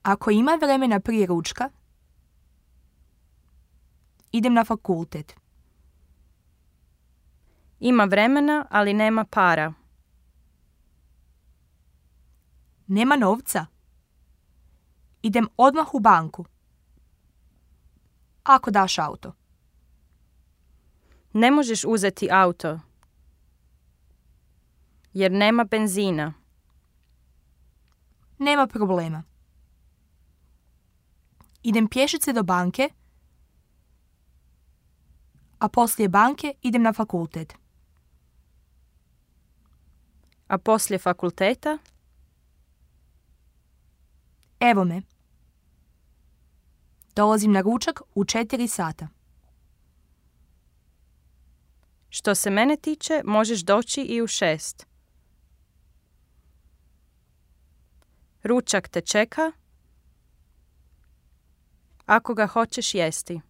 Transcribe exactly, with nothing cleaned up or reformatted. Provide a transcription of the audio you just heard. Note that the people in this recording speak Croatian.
Ako ima vremena prije ručka, idem na fakultet. Ima vremena, ali nema para. Nema novca. Idem odmah u banku. Ako daš auto. Ne možeš uzeti auto, jer nema benzina. Nema problema. Idem pješice do banke, a poslije banke idem na fakultet. A poslije fakulteta? Evo me. Dolazim na ručak u četiri sata. Što se mene tiče, možeš doći i u šest. Ručak te čeka, ako ga hoćeš jesti.